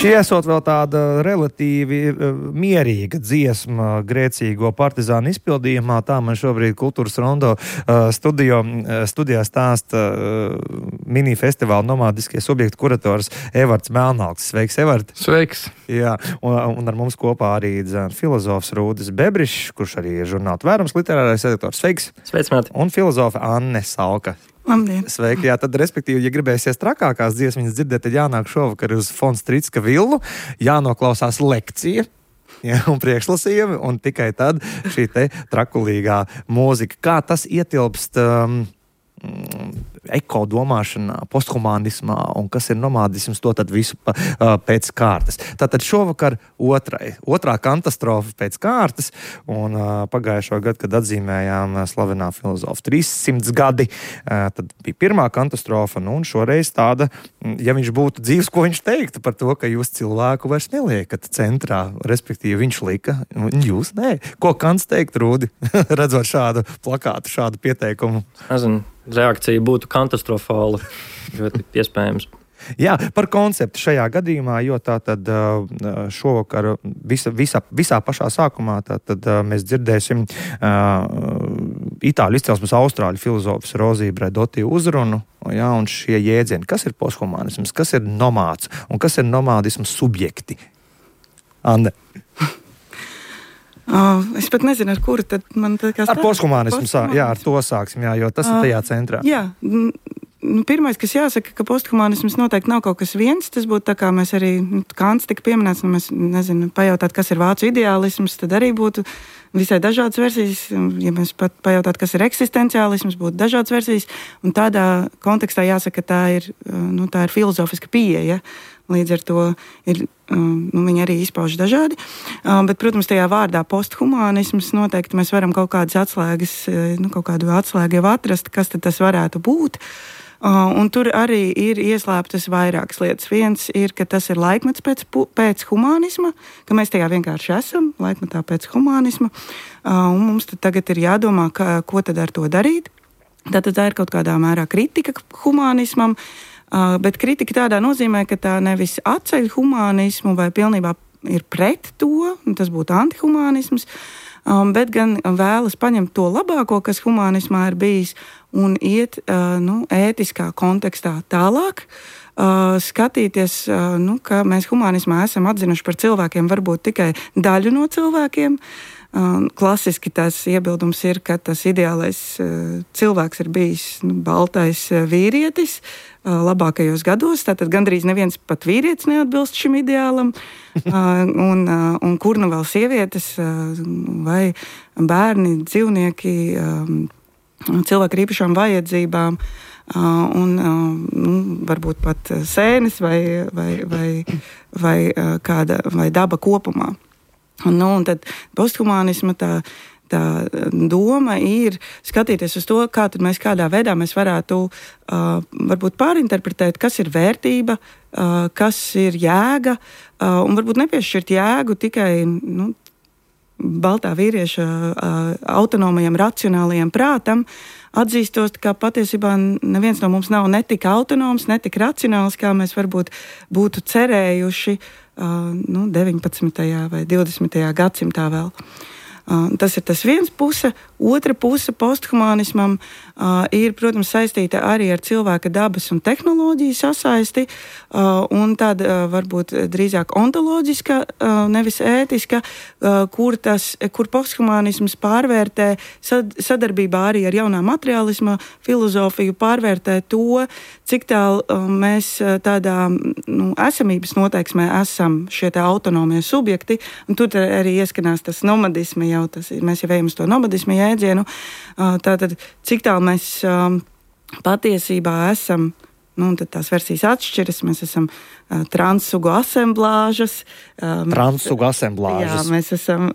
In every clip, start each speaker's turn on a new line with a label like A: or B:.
A: Šī esot vēl tāda relatīvi mierīga dziesma grēcīgo partizānu izpildījumā. Tā man šobrīd Kultūras Rondo studijā stāsta mini-festivāla nomādiskie subjekti kurators Evarts Melnalks. Sveiks, Evart!
B: Sveiks!
A: Jā, un ar mums kopā arī filozofs Rūdis Bebrišs, kurš arī ir žurnāla Tvērums literārais redaktors. Sveiks!
C: Sveiks, Māti!
A: Un filozofa Anne Salka.
D: Labdien.
A: Sveiki, jā, tad, respektīvi, ja gribēsies trakākās dziesmas dzirdēt, tad jānāk šovakar uz Von Strītska villu, jānoklausās lekcija, jā, un priekšlasījumi, un tikai tad šī te trakulīgā mūzika. Kā tas ietilpst ekodomāšanā, posthumanismā, un kas ir nomādisms, to tad visu pēc kārtas. Tātad šovakar otrā katastrofa pēc kārtas, un pagājušo gadu, kad atzīmējām slavenā filozofa 300 gadi, tad bija pirmā katastrofa, un šoreiz tāda, ja viņš būtu dzīvs, ko viņš teiktu par to, ka jūs cilvēku vairs neliekat centrā, respektīvi viņš lika, un jūs nē. Ko Kants teikt, Rūdi, redzot šādu plakātu, šādu pieteikumu?
C: Nezinu, reakcija būtu katastrofāla, ļoti iespējams.
A: Jā, par konceptu šajā gadījumā, jo tā tad šovakar visā pašā sākumā tad mēs dzirdēsim itāļu izcelsmes austrāļu filozofas Rozija Bredoti uzrunu, jā, un šie jēdzieni, kas ir posthumanisms, kas ir nomāds un kas ir nomādisms subjekti. Anne.
D: Es pat nezinu, ar kuru tad man tā kā
A: ar posthumanismu, jā, ar to sāksim, jā, jo tas ir tajā centrā.
D: Jā, pirmais, kas jāsaka, ka posthumanisms noteikti nav kaut kas viens, tas būtu tā kā mēs arī, Kants tika pieminēts, mēs, nezinu, pajautāt, kas ir vācu ideālisms, tad arī būtu visai dažādas versijas, ja mēs pat pajautāt, kas ir eksistenciālisms, būtu dažādas versijas, un tādā kontekstā jāsaka, tā ir filozofiska pieeja, līdz ar to ir, viņi arī izpauž dažādi, bet, protams, tajā vārdā posthumanisms noteikti mēs varam kaut kādas atslēgas, kaut kādu atslēgu jau atrast, kas tad tas varētu būt. Un tur arī ir ieslēptas vairākas lietas. Viens ir, ka tas ir laikmets pēc humanisma, ka mēs tajā vienkārši esam, laikmetā pēc humanisma, un mums tad tagad ir jādomā, ko tad ar to darīt. Tātad tā ir kaut kādā mērā kritika humanismam, bet kritika tādā nozīmē, ka tā nevis atceļ humanismu vai pilnībā ir pret to, tas būtu antihumanisms, bet gan vēlas paņemt to labāko, kas humanismā ir bijis, un iet ētiskā kontekstā tālāk, skatīties, ka mēs humanismā esam atzinuši par cilvēkiem varbūt tikai daļu no cilvēkiem. Klasiski tās iebildums ir, ka tas ideālais cilvēks ir bijis baltais vīrietis labākajos gados, tātad gandrīz neviens pat vīrietis neatbilst šim ideālam, un kur nu vēl sievietes vai bērni, dzīvnieki, cilvēki ar īpašām vajadzībām, un varbūt pat sēnes vai daba kopumā. Un tad posthumanisma tā doma ir skatīties uz to, kā tad mēs kādā veidā mēs varētu varbūt pārinterpretēt, kas ir vērtība, kas ir jēga, un varbūt nepiešķirt jēgu tikai baltā vīrieša autonomajam, racionālajam prātam, atzīstot, ka patiesībā neviens no mums nav ne tik autonoms, ne tik racionāls, kā mēs varbūt būtu cerējuši 19. vai 20. gadsimtā vēl. Tas ir tas viens puse. Otra puse posthumanismam ir, protams, saistīta arī ar cilvēka dabas un tehnoloģiju sasaisti, un tāda varbūt drīzāk ontoloģiska, nevis ētiska, kur posthumanisms pārvērtē sadarbībā arī ar jaunā materiālisma filozofiju, pārvērtē to, cik tālu mēs tādā esamības noteiksmē esam šie tā autonomie subjekti, un tur arī ieskanās tas nomadisma jau, mēs jau ejam uz to nomadisma jēdzienu, tātad cik tālu mēs patiesībā esam, un tad tās versijas atšķiras, mēs esam transsugu asemblāžas.
A: Transsugu asemblāžas.
D: Jā, mēs esam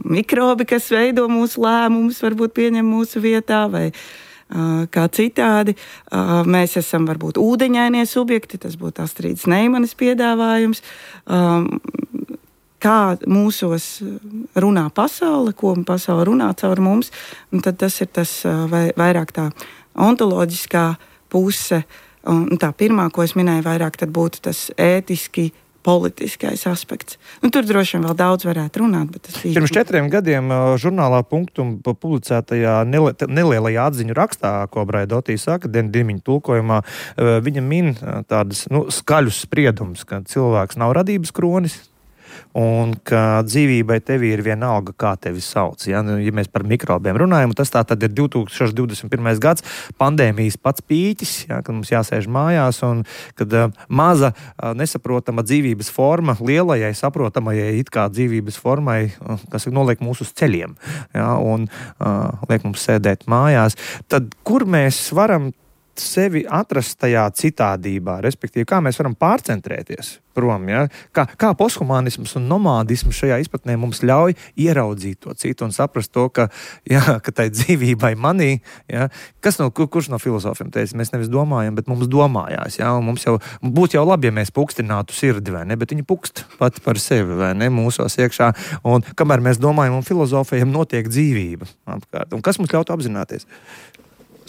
D: mikrobi, kas veido mūsu lēmumus, varbūt pieņem mūsu vietā, vai kā citādi. Mēs esam varbūt ūdeņainie subjekti, tas būtu Astrīdas Neimanes piedāvājums. Kā mūsos runā pasaule, ko pasaule runā caur mums, un tad tas ir tas vairāk tā ontoloģiskā puse. Un tā pirmā, ko es minēju, vairāk tad būtu tas ētiski politiskais aspekts. Tur droši vien vēl daudz varētu runāt, bet tas bija...
A: Pirms 4 gadiem žurnālā Punktum publicētajā nelielajā atziņu rakstā, ko Braidotī saka, Dimiņa tulkojumā, viņa min tādas skaļus spriedumus, ka cilvēks nav radības kronis, un ka dzīvībai tevi ir vienalga, kā tevi sauc. Ja mēs par mikrobiem runājam, tas tā tad ir 2021. gads, pandēmijas pats pīķis, kad mums jāsēž mājās, un kad maza nesaprotama dzīvības forma lielajai saprotamajai it kā dzīvības formai, kas noliek mūs uz ceļiem, un liek mums sēdēt mājās, tad kur mēs varam sevi atrast tajā citādībā, respektīvi, kā mēs varam pārcentrēties prom, kā posthumānisms un nomādisms šajā izpratnē mums ļauj ieraudzīt to citu un saprast to, ka tai dzīvībai manī, kurš no filozofiem teica, mēs nevis domājam, bet mums domājās, un mums jau būtu jau labi, ja mēs pukstinātu sirdi, vai ne, bet viņi pukst pati par sevi, vai ne, mūsos iekšā, un kamēr mēs domājam un filozofējam, notiek dzīvība apkārt. Un kas mums ļautu apzināties?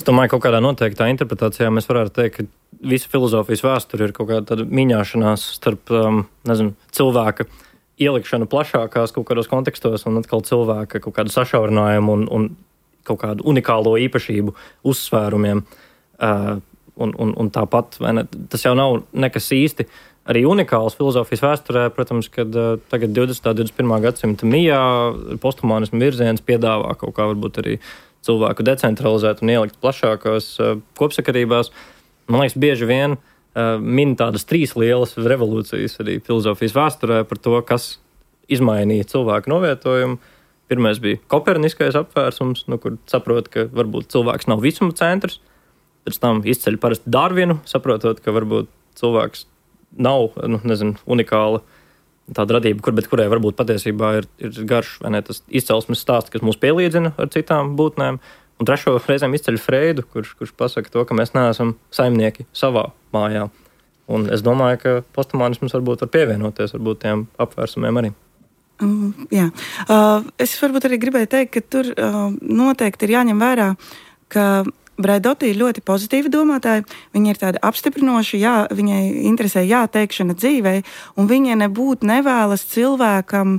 C: Es domāju, kaut kādā noteiktā interpretācijā mēs varētu teikt, ka visa filozofijas vēsture ir kaut kāda tāda miņāšanās starp, cilvēka ielikšanu plašākās kaut kādos kontekstos un atkal cilvēka kaut kādu sašaurinājumu un kaut kādu unikālo īpašību uzsvērumiem. Un tāpat, vai ne, tas jau nav nekas īsti arī unikāls filozofijas vēsturē, protams, kad tagad 20. 21. gadsimta mijā posthumānismu virziens piedāvā kaut kā varbūt arī cilvēku decentralizēt un ielikt plašākās kopsakarībās. Man liekas, bieži vien min tādas 3 lielas revolūcijas arī filozofijas vēsturē par to, kas izmainīja cilvēku novietojumu. Pirmais bija koperniskais apvērsums, kur saprot, ka varbūt cilvēks nav visuma centrs. Pēc tam izceļ parasti Darvinu, saprotot, ka varbūt cilvēks nav, unikāla tāda radība, bet kurai varbūt patiesībā ir garš, vai ne, tas izcelsmes stāsts, kas mūs pielīdzina ar citām būtnēm. Un trešo reizēm izceļ Freidu, kurš pasaka to, ka mēs neesam saimnieki savā mājā. Un es domāju, ka posthumānisms varbūt var pievienoties varbūt tiem apvērsumiem arī.
D: Jā. Es varbūt arī gribēju teikt, ka tur noteikti ir jāņem vērā, ka Braidotī ir ļoti pozitīva domātāja, viņa ir tāda apstiprinoša, viņai interesē teikšana dzīvē, un viņa nebūtu nevēlas cilvēkam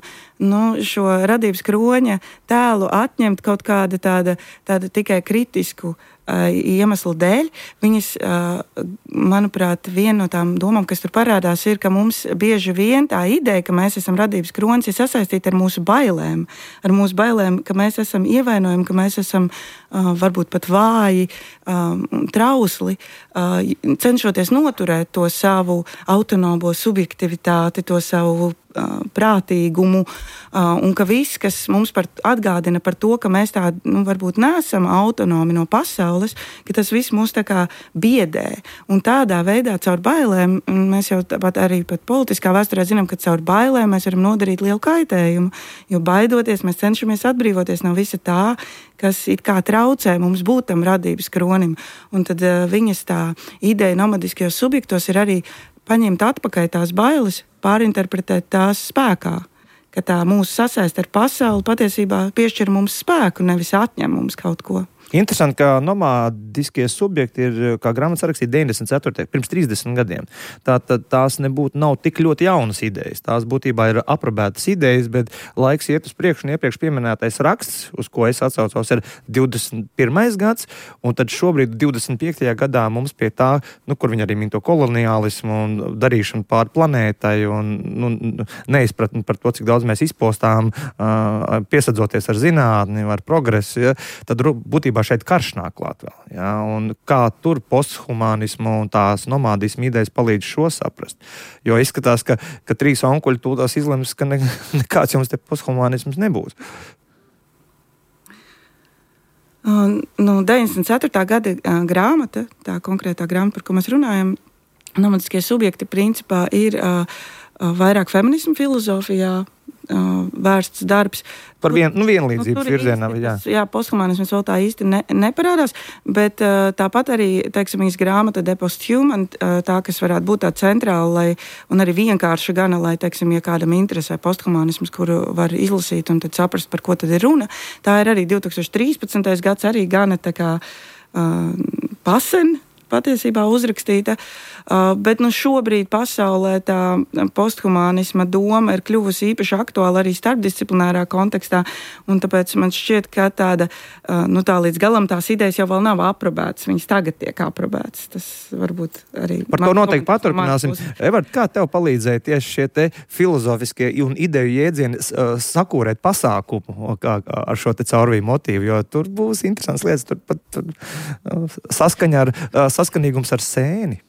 D: šo radības kroņa tēlu atņemt kaut kāda tāda tikai kritisku iemeslu dēļ. Viņas, manuprāt, viena no tām domām, kas tur parādās, ir, ka mums bieži vien tā ideja, ka mēs esam radības kronis, ir sasaistīta ar mūsu bailēm. Ar mūsu bailēm, ka mēs esam ievainojami, ka mēs esam varbūt pat vāji, trausli, cenšoties noturēt to savu autonomo subjektivitāti, to savu prātīgumu, un ka viss, kas mums atgādina par to, ka mēs tādi, varbūt neesam autonomi no pasaules, ka tas viss mūs tā kā biedē. Un tādā veidā caur bailēm, mēs jau tāpat arī pat politiskā vēsturē zinām, ka caur bailēm mēs varam nodarīt lielu kaitējumu, jo baidoties mēs cenšamies atbrīvoties no visa tā, kas it kā traucē mums būt tam radības kronim. Un tad viņas tā ideja nomadiskajos subjektos ir arī paņemt atpakaļ tās bailes, pārinterpretēt tās spēkā, ka tā mūsu sasaist ar pasauli patiesībā piešķir mums spēku, nevis atņem mums kaut ko.
A: Interesanti, ka nomādiskie subjekti ir, kā grāmatas rakstīja 94. pirms 30 gadiem. Tātad tās nav tik ļoti jaunas idejas. Tās būtībā ir aprobētas idejas, bet laiks iet uz priekšu, un iepriekš pieminētais raksts, uz ko es atsaucos, ir 21. gads, un tad šobrīd 25. gadā mums pie tā, kur viņi arī min to koloniālismu un darīšanu pār planētai un neizpratni par to, cik daudz mēs izpostām, piesadzoties ar zinātni, ar progresu, tad būtībā šeit karš nāk klāt vēl. Ja? Un kā tur posthumānismu un tās nomādismu idejas palīdz šo saprast. Jo izskatās, ka 3 onkuļi tūlās izlems, ka nekāds jums te posthumānisms nebūs.
D: 94. gada grāmata, tā konkrētā grāmata, par ko mēs runājam, nomadiskie subjekti principā ir vairāk feminismu filozofijā vērsts darbs.
A: Par vienlīdzības virzienā.
D: Jā, posthumanisms vēl tā īsti neparādās, bet tāpat arī, teiksim, grāmata De Posthuman, tā, kas varētu būt tā centrāla un arī vienkārša gana, lai, teiksim, ja kādam interesē posthumanisms, kuru var izlasīt un tad saprast, par ko tad ir runa. Tā ir arī 2013. gads, arī gana tā kā pasen patiesībā uzrakstīta, bet šobrīd pasaulē tā posthumanisma doma ir kļuvusi īpaši aktuāla arī starpdisciplinārā kontekstā, un tāpēc man šķiet, ka tā līdz galam tās idejas jau vēl nav aprobētas, viņas tagad tiek aprobētas. Tas varbūt arī...
A: Par to noteikti paturpināsim. Evert, kā tev palīdzēja tieši šie te filozofiskie un ideju jēdzieni sakūrēt pasākumu ar šo te caurvīju motīvu, jo tur būs interesants lietas, tur pat saskanīgums ar sēni.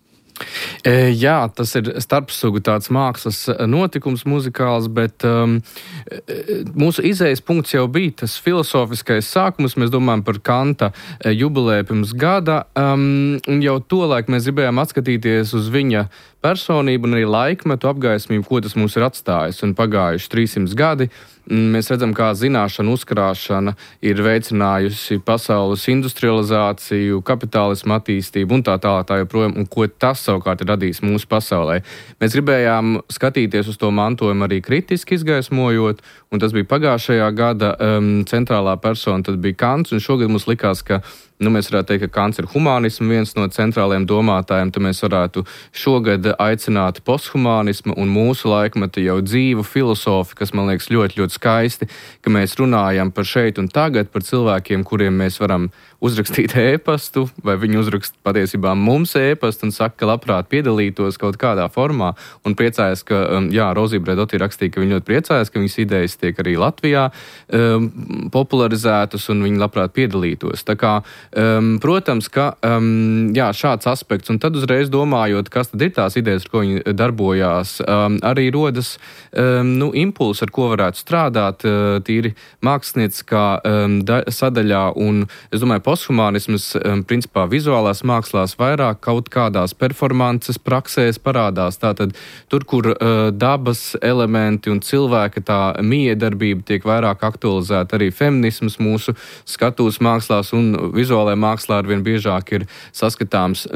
B: Jā, tas ir starpsugu tāds mākslas notikums muzikāls, bet mūsu izējas punkts jau bija tas filozofiskais sākums. Mēs domājam par Kanta jubilēju pirms gada, un jau tolaik mēs gribējām atskatīties uz viņa personību un arī laikmetu apgaismību, ko tas mums ir atstājis. Un pagājuši 300 gadi mēs redzam, kā zināšana uzkrāšana ir veicinājusi pasaules industrializāciju, kapitālismu attīstību un tā joprojām, un ko tas savukārt ir radījis mūsu pasaulē. Mēs gribējām skatīties uz to mantojumu arī kritiski izgaismojot, un tas bija pagājušajā gada centrālā persona, tad bija Kants, un šogad mums likās, ka mēs varētu teikt, ka Kants ir humanismu viens no centrālajiem domātājiem, tad mēs varētu šogad aicināt posthumanismu un mūsu laikmeta jau dzīvu filosofi, kas man liekas ļoti, ļoti skaisti, ka mēs runājam par šeit un tagad, par cilvēkiem, kuriem mēs varam uzrakstīt ēpastu, vai viņi uzrakst patiesībā mums ēpastu un saka, ka labprāt piedalītos kaut kādā formā, un priecājas, ka, Rozija Bredoti rakstīja, ka viņi ļoti priecājas, ka viņas idejas tiek arī Latvijā popularizētas, un viņi labprāt piedalītos. Tā kā protams, ka šāds aspekts, un tad uzreiz domājot, kas tad ir tās idejas, ar ko viņi darbojās, arī rodas impulsi, ar ko varētu strādāt tīri mākslinieckā sadaļā, un es domāju, posthumanisms principā vizuālās mākslās vairāk kaut kādās performances praksēs parādās. Tātad tur, kur dabas elementi un cilvēka tā miedarbība tiek vairāk aktualizēta, arī feminisms mūsu skatūs mākslās un vizuālajā mākslā arvien biežāk ir saskatāms.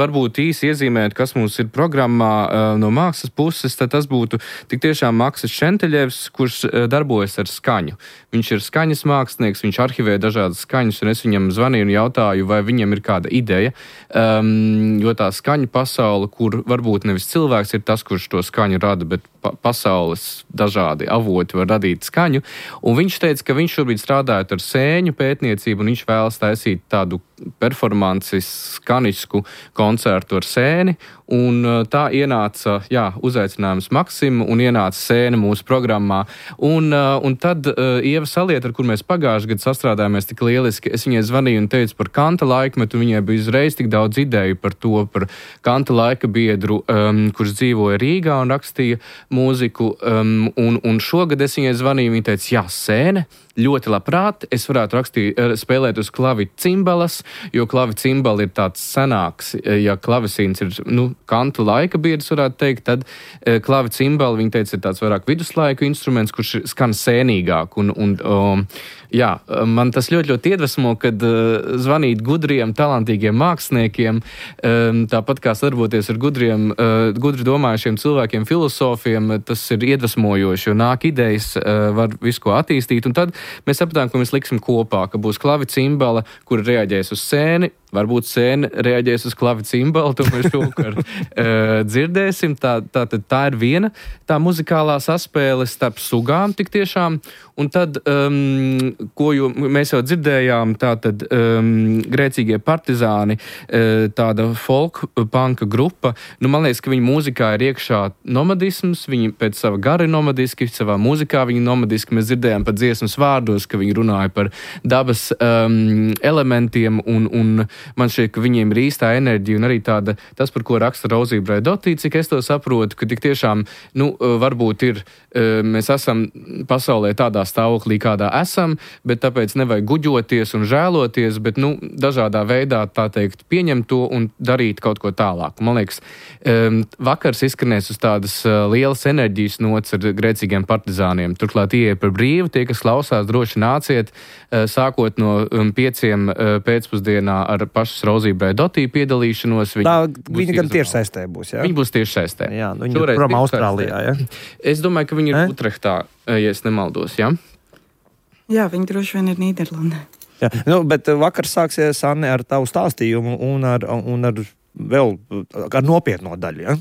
B: Varbūt īsi iezīmēt, kas mums ir programmā no mākslas puses, tad tas būtu tik tiešām Maksis Šenteļevs, kurš darbojas ar skaņu. Viņš ir skaņas mākslinieks, viņš arhivē dažādas skaņas, un es viņam zvanīju un jautāju, vai viņam ir kāda ideja, jo tā skaņu pasaule, kur varbūt nevis cilvēks ir tas, kurš to skaņu rada, bet pasaules dažādi avoti var radīt skaņu, un viņš teica, ka viņš šobrīd strādājot ar sēņu pētniecību, un viņš vēlas taisīt tādu performanci skanisku koncertu ar sēni, un tā ienāca, uzaicinājums Maksim, un ienāca sēne mūsu programmā, un tad Ieva Salieta, ar kur mēs pagājuši gadu sastrādājāmies tik lieliski, es viņai zvanīju un teicu par Kanta laikmetu, viņai bija uzreiz tik daudz ideju par to, par Kanta laika biedru, kurš dzīvoja Rīgā un rakstīja mūziku, un šogad es viņai zvanīju, viņa teica, sēne, ļoti labprāt, es varētu spēlēt uz klavicimbalas, jo klavicimbali ir tāds senāks, ja klavesīns ir, Kanta laika biedrs, varētu teikt, tad klavicimbali, viņa teica, ir tāds vairāk viduslaiku instruments, kurš skan sēnīgāk, man tas ļoti, ļoti iedvesmo, kad zvanīt gudriem, talantīgiem māksliniekiem, tāpat kā sadarboties ar gudri domājušiem cilvēkiem, filosofiem, tas ir iedvesmojoši, jo nāk idejas, var visu ko attīstīt, un tad mēs sapratām, ka mēs liksim kopā, ka būs klavicimbala, kur reaģēs uz sēni, varbūt sēne reaģēs uz klavicimbalu, to mēs šovakar dzirdēsim. Tā ir viena tā muzikālā saspēle starp sugām tik tiešām, un tad, ko mēs jau dzirdējām, tātad grēcīgie partizāni, tāda folk-punka grupa, man liekas, ka viņa mūzikā ir iekšā nomadisms, viņi pēc sava gara ir nomadiski, savā mūzikā viņi nomadiski, mēs dzirdējām pat dziesmas vārdos, ka viņi runāja par dabas elementiem un man šķiet, ka viņiem ir īstā enerģija un arī tas, par ko raksta Rozība Braidotī, cik es to saprotu, ka tik tiešām, varbūt ir, mēs esam pasaulē tādā stāvoklī, kādā esam, bet tāpēc nevajag guģoties un žēloties, bet, dažādā veidā, tā teikt, pieņemt to un darīt kaut ko tālāk. Man liekas, vakars izskanēs uz tādas lielas enerģijas nots ar grēcīgiem partizāniem. Turklāt ieeja par brīvu, tie, kas klausās, droši nāciet, sākot no 5 pēcpusdienā ar pašas Rozību Braidotī piedalīšanos.
A: Viņa gan tiešsaistē būs, jā?
B: Viņa būs tiešsaistē.
A: Jā, viņa ir prom Austrālijā, jā?
B: Es domāju, ka viņa ir Utrehtā, ja es nemaldos, jā?
D: Jā, viņa droši vien ir Nīderlandē.
A: Jā, bet vakar sāksies, Anne, ar tavu stāstījumu un ar vēl ar nopietno daļu, ja?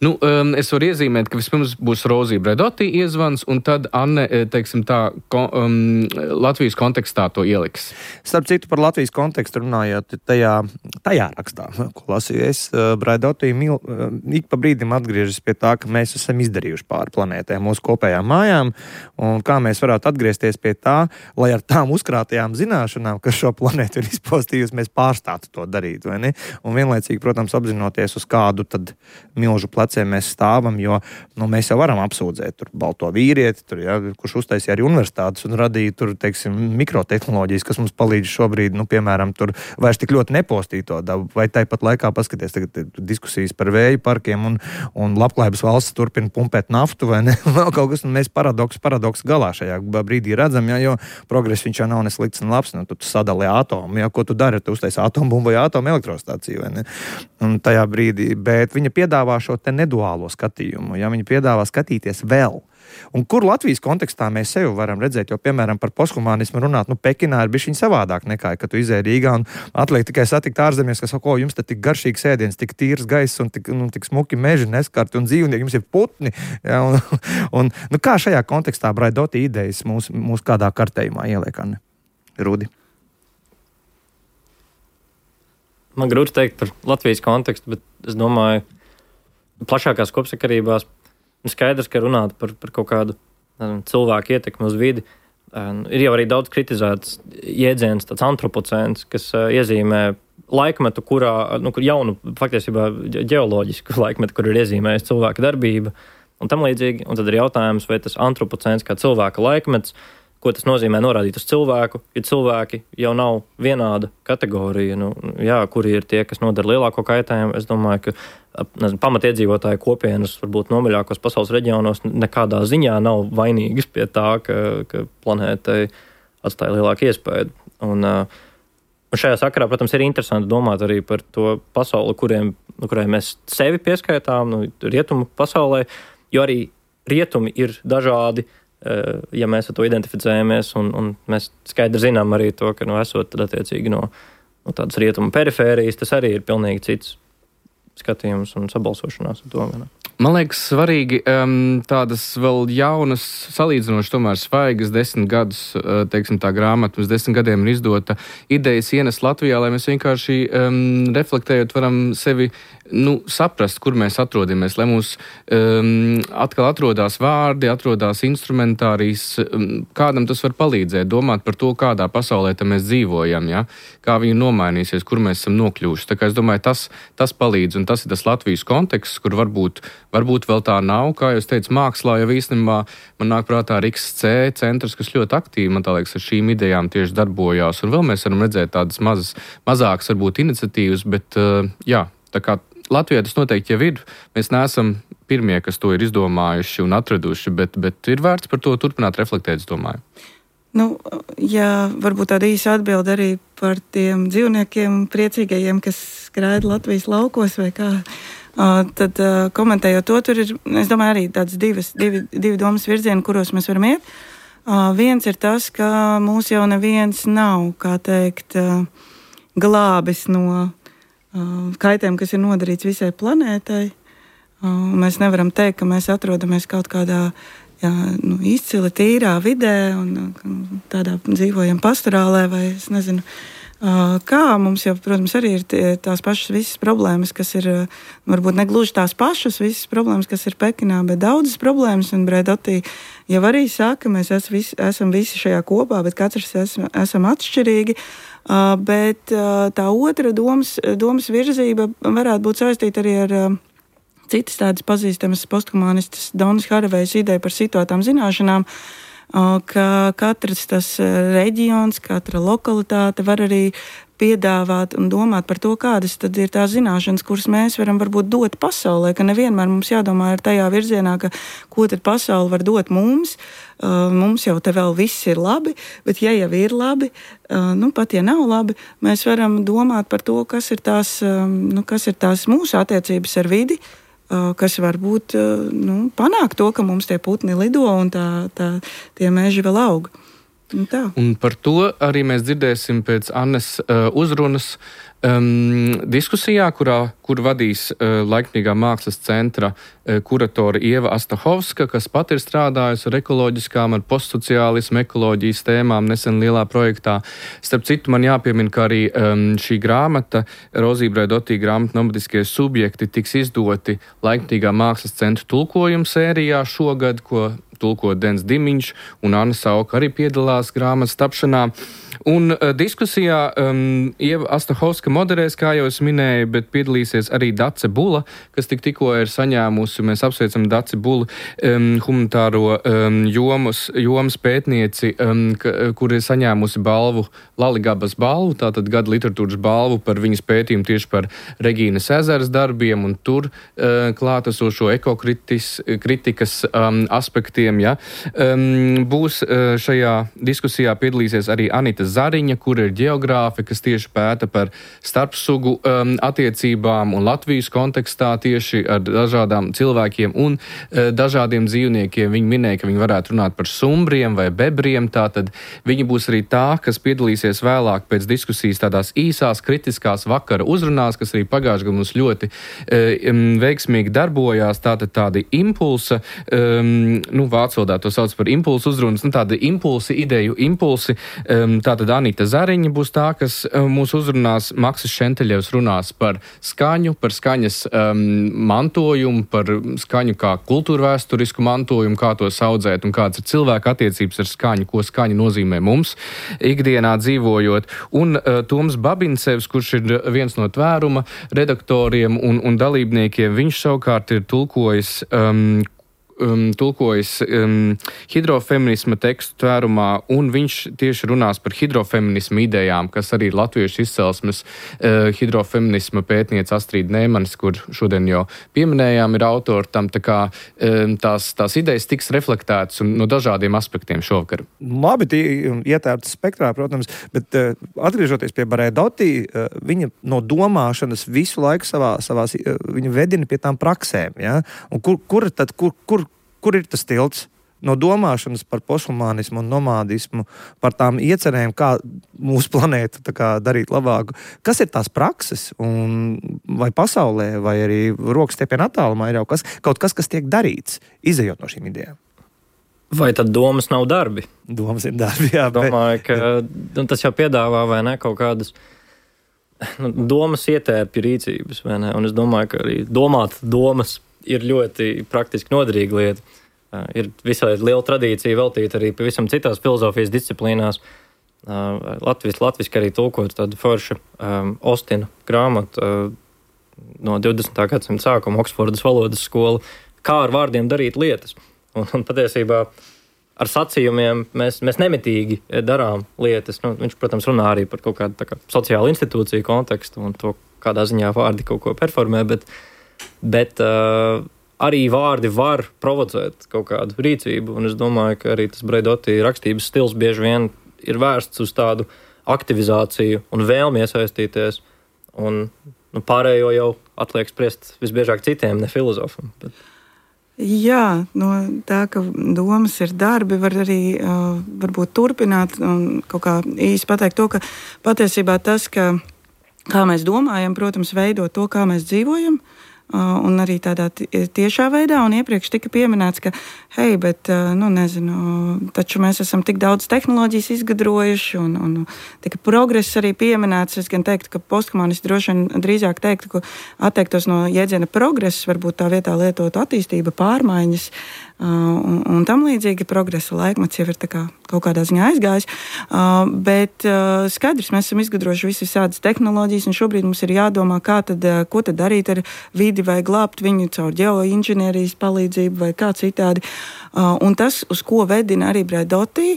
B: Es varu iezīmēt, ka vispirms būs Rozība Braidotī iezvans, un tad Anne, teiksim tā, Latvijas kontekstā to ieliks.
A: Starp citu, par Latvijas kontekstu runājot, tajā rakstā, ko lasīju es, Braidotī ik pa brīdim atgriežas pie tā, ka mēs esam izdarījuši pāri planētē mūsu kopējām mājām, un kā mēs varētu atgriezties pie tā, lai ar tām uzkrātajām zināšanām, kas šo planētu ir izpostījusi, mēs pārstātu to darīt, vai ne? Un vienlaicīgi, protams, apzinoties, uz kādu tad milžu pleciem mēs stāvam, jo mēs jau varam apsūdzēt tur balto vīrieti, kurš uztaisīja arī universitātes un radīja tur, teiksim, mikrotehnoloģijas, kas mums palīdz šobrīd, piemēram, tur vairs tik ļoti nepostīt to dabu, vai tāpat laikā paskaties tagad diskusijas par vēju parkiem un labklājības valsts turpina pumpēt naftu, vai ne? Vēl kaut kas, un mēs paradoks galā šajā brīdī redzam, jo progress viņš jau nav neslikts un labs, tu sadali atomu, ko tu dari, tu uztaisi atombumbu vai atomelektrostāciju, vai ne? Un tajā brīdī, bet viņa piedāvā šo te neduālo skatījumu, viņa piedāvā skatīties vēl. Un kur Latvijas kontekstā mēs sevi varam redzēt, jo, piemēram, par posthumanismu runāt, Pekinā ir bišķiņ savādāk nekā, kad tu izēji Rīgā un atliek tikai satikt ārzemies, kas saka, jums te tik garšīgs ēdiens, tik tīrs gaiss un tik smuki meži neskarti un dzīvnieki, jums ir putni. Ja, un kā šajā kontekstā Braidotī idejas mūs kādā kartējumā ieliek, Anne? Rudi?
C: Man grūti teikt par Latvijas kontekstu, bet es domāju, plašākās kopsakarībās skaidrs, ka runāt par kaut kādu cilvēku ietekmi uz vidi. Ir jau arī daudz kritizēts jēdziens, tāds antropocēns, kas iezīmē laikmetu, kur jaunu, faktiesībā ģeoloģisku laikmetu, kur ir iezīmējis cilvēka darbība un tam līdzīgi. Un tad ir jautājums, vai tas antropocēns kā cilvēka laikmets, ko tas nozīmē norādīt uz cilvēku, ja cilvēki jau nav vienāda kategorija, kuri ir tie, kas nodara lielāko kaitējumu. Es domāju, ka pamatiedzīvotāju kopienas, varbūt nomaļākos pasaules reģionos, nekādā ziņā nav vainīgas pie tā, ka planētai atstāja lielāku iespēju. Un šajā sakarā, protams, ir interesanti domāt arī par to pasauli, kurai mēs sevi pieskaitām, rietumu pasaulē, jo arī rietumi ir dažādi, ja mēs ar to identificējamies, un mēs skaidri zinām arī to, ka esot tad attiecīgi no tādas rietumu perifērijas, tas arī ir pilnīgi cits skatījums un sabalsošanās ar to.
B: Man liekas svarīgi tādas vēl jaunas, salīdzinoši tomēr svaigas 10 gadus, teiksim tā grāmata, mums 10 gadiem ir izdota idejas ienest Latvijā, lai mēs vienkārši reflektējot varam sevi saprast, kur mēs atrodamies, lai mums atkal atrodās vārdi, atrodās instrumentārijas, kādam tas var palīdzēt, domāt par to, kādā pasaulē mēs dzīvojam, ja? Kā viņa nomainīsies, kur mēs esam nokļuvuši. Tā kā es domāju, tas palīdz, un tas ir tas Latvijas konteksts, kur varbūt vēl tā nav, kā jūs teicu, mākslā jau īstenībā man nāk prātā RIXC centrs, kas ļoti aktīvi, man tā liekas, ar šīm idejām tieši darbojās, un vēl mēs varam redzēt tādas mazākas varbūt iniciatīvas, bet jā, tā kā Latvijā tas noteikti jau ir. Mēs neesam pirmie, kas to ir izdomājuši un atraduši, bet ir vērts par to turpināt reflektēt, es domāju.
D: Jā, varbūt tāda īsa atbilde arī par tiem dzīvniekiem priecīgajiem, kas skraida Latvijas laukos vai kā. Tad komentējot to, tur ir, es domāju, arī tādas divi domas virzieni, kuros mēs varam iet. Viens ir tas, ka mūs jau neviens nav, kā teikt, glābis no kaitēm, kas ir nodarīts visai planētai. Mēs nevaram teikt, ka mēs atrodamies kaut kādā izcili tīrā vidē un tādā dzīvojam pastorālē vai, es nezinu, Kā mums jau, protams, arī ir tās pašas visas problēmas, kas ir, varbūt negluži tās pašas visas problēmas, kas ir Pekinā, bet daudzas problēmas, un Braidoti jau arī saka, mēs esam visi šajā kopā, bet katrs esam atšķirīgi, bet tā otra domas virzība varētu būt saistīta arī ar citas tādas pazīstamas posthumanistas Donas Haravejas ideja par situētām zināšanām, ka katrs tas reģions, katra lokalitāte var arī piedāvāt un domāt par to, kādas tad ir tās zināšanas, kuras mēs varam varbūt dot pasaulē, ka nevienmēr mums jādomā ir tajā virzienā, ka ko tad pasaule var dot mums. Mums jau te vēl viss ir labi, bet ja jau ir labi, pat ja nav labi, mēs varam domāt par to, kas ir tās mūsu attiecības ar vidi, kas varbūt panāk to, ka mums tie putni lido un tie meži vēl aug.
B: Un par to arī mēs dzirdēsim pēc Annes uzrunas diskusijā, kur vadīs Laikmīgā mākslas centra kuratore Ieva Astahovska, kas pat ir strādājusi ar ekoloģiskām, ar postsociālismu, ekoloģijas tēmām nesen lielā projektā. Starp citu, man jāpiemina, ka arī šī grāmata, Rozija Braidoti grāmata Nomadiskie subjekti, tiks izdoti Laikmīgā mākslas centra tulkojuma sērijā šogad, ko tulko Dens Dimiņš, un Anna Sauka arī piedalās grāmatas tapšanā. Un diskusijā Ieva Astahovska moderēs, kā jau es minēju, bet piedalīsies arī Dace Bula, kas tikko ir saņēmusi, mēs apsveicam Daci Bulu, humanitāro jomas pētnieci, kur ir saņēmusi balvu, Laligabas balvu, tātad gada literatūras balvu par viņas pētījumu tieši par Regīnas ezeras darbiem un tur klātesošo ekokritikas aspektiem. Ja. Būs šajā diskusijā piedalīsies arī Anita Zariņa, kur ir ģeogrāfe, kas tieši pēta par starpsugu attiecībām un Latvijas kontekstā tieši ar dažādām cilvēkiem un dažādiem dzīvniekiem. Viņi minēja, ka viņi varētu runāt par sumbriem vai bebriem, tātad viņi būs arī tā, kas piedalīsies vēlāk pēc diskusijas tādās īsās kritiskās vakara uzrunās, kas arī pagājušajā gadā mums ļoti veiksmīgi darbojās, tātad tādi impulsa, vācu valodā to sauc par impulsu uzrunas, tādi impulsi, ideju impulsi. Tātad Anita Zariņa būs tā, kas mūs uzrunās, Maksis Šenteļevs runās par skaņu, par skaņas mantojumu, par skaņu kā kultūrvēsturisku mantojumu, kā to saudzēt un kāds ir cilvēka attiecības ar skaņu, ko skaņa nozīmē mums ikdienā dzīvojot. Un Toms Babincevs, kurš ir viens no tvēruma redaktoriem un dalībniekiem, viņš savukārt ir tulkojis hidrofeminisma tekstu tvērumā, un viņš tieši runās par hidrofeminismu idejām, kas arī ir latviešu izcelsmes hidrofeminisma pētniece Astrīda Nēmanis, kur šodien jau pieminējām, ir autori tam, tā kā tās idejas tiks reflektētas no dažādiem aspektiem šovakar.
A: Labi, tie ietērptas spektrā, protams, bet atgriežoties pie Braidoti, viņa no domāšanas visu laiku savās viņa vedina pie tām praksēm, ja? Un kur ir tas tilts no domāšanas par posthumanismu un nomādismu, par tām iecerēm, kā mūsu planētu darīt labāku? Kas ir tās prakses? Un vai pasaulē, vai arī rokas stiepienā attālumā ir jau kaut kas, kas tiek darīts, izejot no šīm idejām?
C: Vai tad domas nav darbi?
A: Domas ir darbi, jā.
C: Domāju, ka tas jau piedāvā, vai ne, kaut kādas domas ietērpja rīcības, vai ne? Un es domāju, ka arī domāt domas ir ļoti praktiski noderīga lieta. Ir visai liela tradīcija veltīta arī pavisam citās filozofijas disciplīnās. Latviski arī tulkot tādu foršu Ostina grāmatu no 20. gadsimta sākuma, Oksfordas valodas skola, kā ar vārdiem darīt lietas. Un patiesībā ar sacījumiem mēs nemitīgi darām lietas. Viņš, protams, runā arī par kaut kādu sociālu institūciju kontekstu un to, kādā ziņā vārdi kaut ko performē, bet arī vārdi var provocēt kaut kādu rīcību, un es domāju, ka arī tas Braidoti rakstības stils bieži vien ir vērsts uz tādu aktivizāciju un vēlmi iesaistīties, un pārējo jau atliek spriest visbiežāk citiem, ne filozofam.
D: Jā, no tā, ka domas ir darbi, var arī varbūt turpināt un kaut kā īsi pateikt to, ka patiesībā tas, ka kā mēs domājam, protams, veido to, kā mēs dzīvojam. un arī tādā tiešā veidā, un iepriekš tika pieminēts, ka, hei, bet, taču mēs esam tik daudz tehnoloģijas izgudrojuši, un tika progress arī pieminēts. Es gan teiktu, ka posthumanisti droši vien drīzāk teiktu, ka atteiktos no jēdziena progress, varbūt tā vietā lietot attīstība, pārmaiņas, un tam līdzīgi progresa laikmets jau ir tā kā kaut kādā ziņā aizgājis, bet skaidrs, mēs esam izgudrojuši visādas tehnoloģijas, un šobrīd mums ir jādomā, ko tad darīt ar vidi, vai glābt viņu caur ģeoinženierijas palīdzību vai kā citādi. Un tas, uz ko vedina arī Braidoti,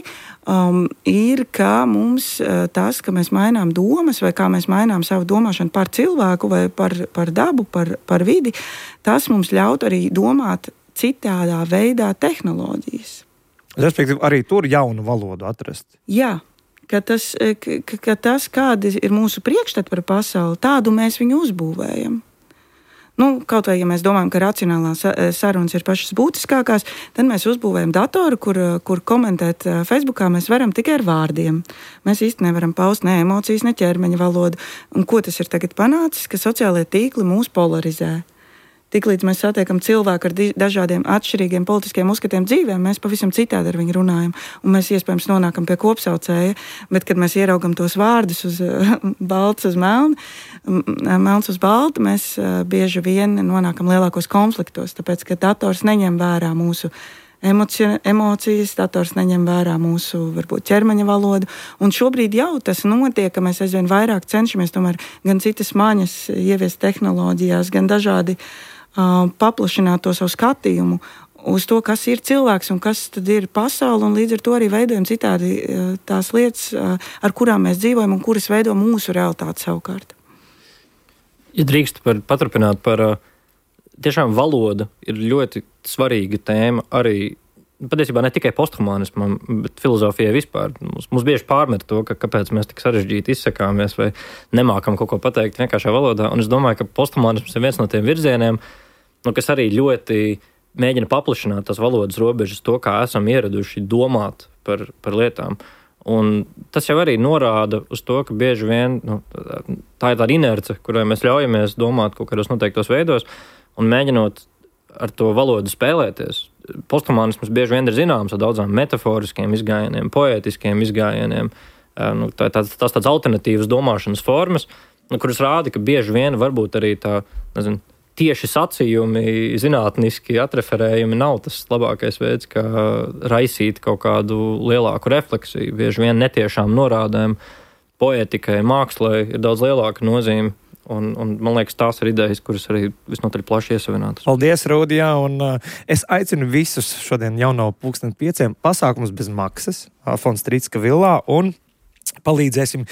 D: ir, ka mums tas, ka mēs mainām domas vai kā mēs mainām savu domāšanu par cilvēku vai par dabu, par vidi, tas mums ļaut arī domāt citādā veidā tehnoloģijas.
A: Respektīvi, arī tur jaunu valodu atrast.
D: Jā, ka tas kādi ir mūsu priekšstati par pasauli, tādu mēs viņu uzbūvējam. Kaut vai, ja mēs domājam, ka racionālās sarunas ir pašas būtiskākās, tad mēs uzbūvējam datoru, kur komentēt Facebookā mēs varam tikai ar vārdiem. Mēs īsti nevaram paust ne emocijas, ne ķermeņa valodu. Un ko tas ir tagad panācis, ka sociālie tīkli mūs polarizē. Tiklīdz mēs satiekam cilvēku ar dažādiem atšķirīgiem politiskiem uzskatiem dzīvēm, mēs pavisam citādi ar viņu runājam. Un mēs iespējams nonākam pie kopsaucēja, bet kad mēs ieraugam tos vārdus uz balts uz melnu, melns uz baltu, mēs bieži vien nonākam lielākos konfliktos, tāpēc, ka dators neņem vērā mūsu emocijas, dators neņem vērā mūsu, varbūt, ķermeņa valodu. Un šobrīd jau tas notiek, ka mēs aizvien vairāk cenšamies tomēr gan citas maņas ieviest tehnoloģijās, gan dažādi paplašināt to savu skatījumu uz to, kas ir cilvēks un kas tad ir pasaule, un līdz ar to arī veidojam citādi tās lietas, ar kurām mēs dzīvojam un kuras veido mūsu realitāti savukārt.
C: Ja drīkst paturpināt par tiešām valoda ir ļoti svarīga tēma arī, patiesībā ne tikai posthumanismam, bet filozofijai vispār. Mums bieži pārmet to, kāpēc mēs tik sarežģīti izsakāmies vai nemākam kaut ko pateikt vienkāršā valodā, un es domāju, ka posthumanisms ir viens no tiem virzieniem, kas arī ļoti mēģina paplašināt tās valodas robežas, to, kā esam ieraduši domāt par lietām. Un tas jau arī norāda uz to, ka bieži vien tā ir tāda inerce, kurai mēs ļaujamies domāt kaut kādos noteiktos veidos, un mēģinot ar to valodu spēlēties. Posthumanisms bieži vien ir zināms ar daudzām metaforiskiem izgājieniem, poētiskiem izgājieniem. Tas tāds alternatīvas domāšanas formas, kuras rāda, ka bieži vien varbūt arī tieši sacījumi, zinātniski atreferējumi nav tas labākais veids, kā raisīt kaut kādu lielāku refleksiju. Bieži vien netiešām norādēm poētikai, mākslai ir daudz lielāka nozīme. Un man liekas, tās ir idejas, kuras arī visnotaļ plaši iesavinātas.
A: Paldies, Rūdijā, un es aicinu visus šodien jau no 5:30 pasākumus bez maksas Fonds Trīcka villā, un palīdzēsim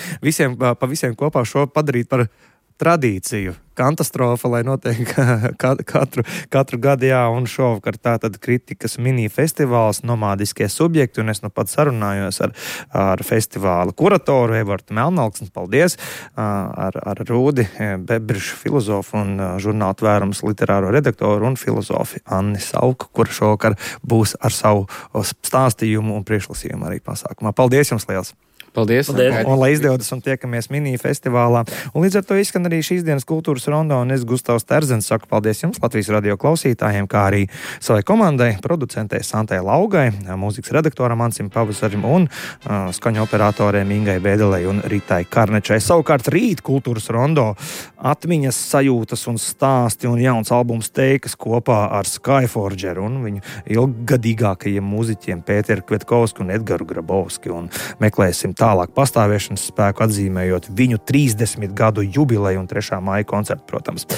A: pa visiem kopā šo padarīt par tradīciju, katastrofa, lai notiek katru gadu, jā, un šovakar tātad kritikas mini-festivāls Nomādiskie subjekti, un es pat sarunājos ar festivāla kuratoru Evartu Melnalksni, paldies, ar Rūdi Bebrišu filozofu un žurnāla Tvērums literāro redaktoru un filozofi Anni Sauku, kur šovakar būs ar savu stāstījumu un priekšlasījumu arī pasākumā. Paldies jums liels!
B: Paldies!
A: Un lai izdodas un tiekamies mini-festivālā. Un līdz ar to izskan arī šīs dienas kultūras rondo, un es Gustavs Terzens saku paldies jums, Latvijas radio klausītājiem, kā arī savai komandai, producentei Santai Laugai, mūzikas redaktoram Ansim Pavasarim un skaņu operatoriem Ingai Bēdelei un Ritai Karnečai. Savukārt rīt kultūras rondo atmiņas, sajūtas un stāsti un jauns albums Teikas kopā ar Skyforgeru un viņu ilggadīgākajiem mūziķiem Pēteru Kvetkovsku un Edgaru Grabovski, un meklēsim tālāk pastāvēšanas spēku, atzīmējot viņu 30 gadu jubileju un 3. maija koncertu, protams.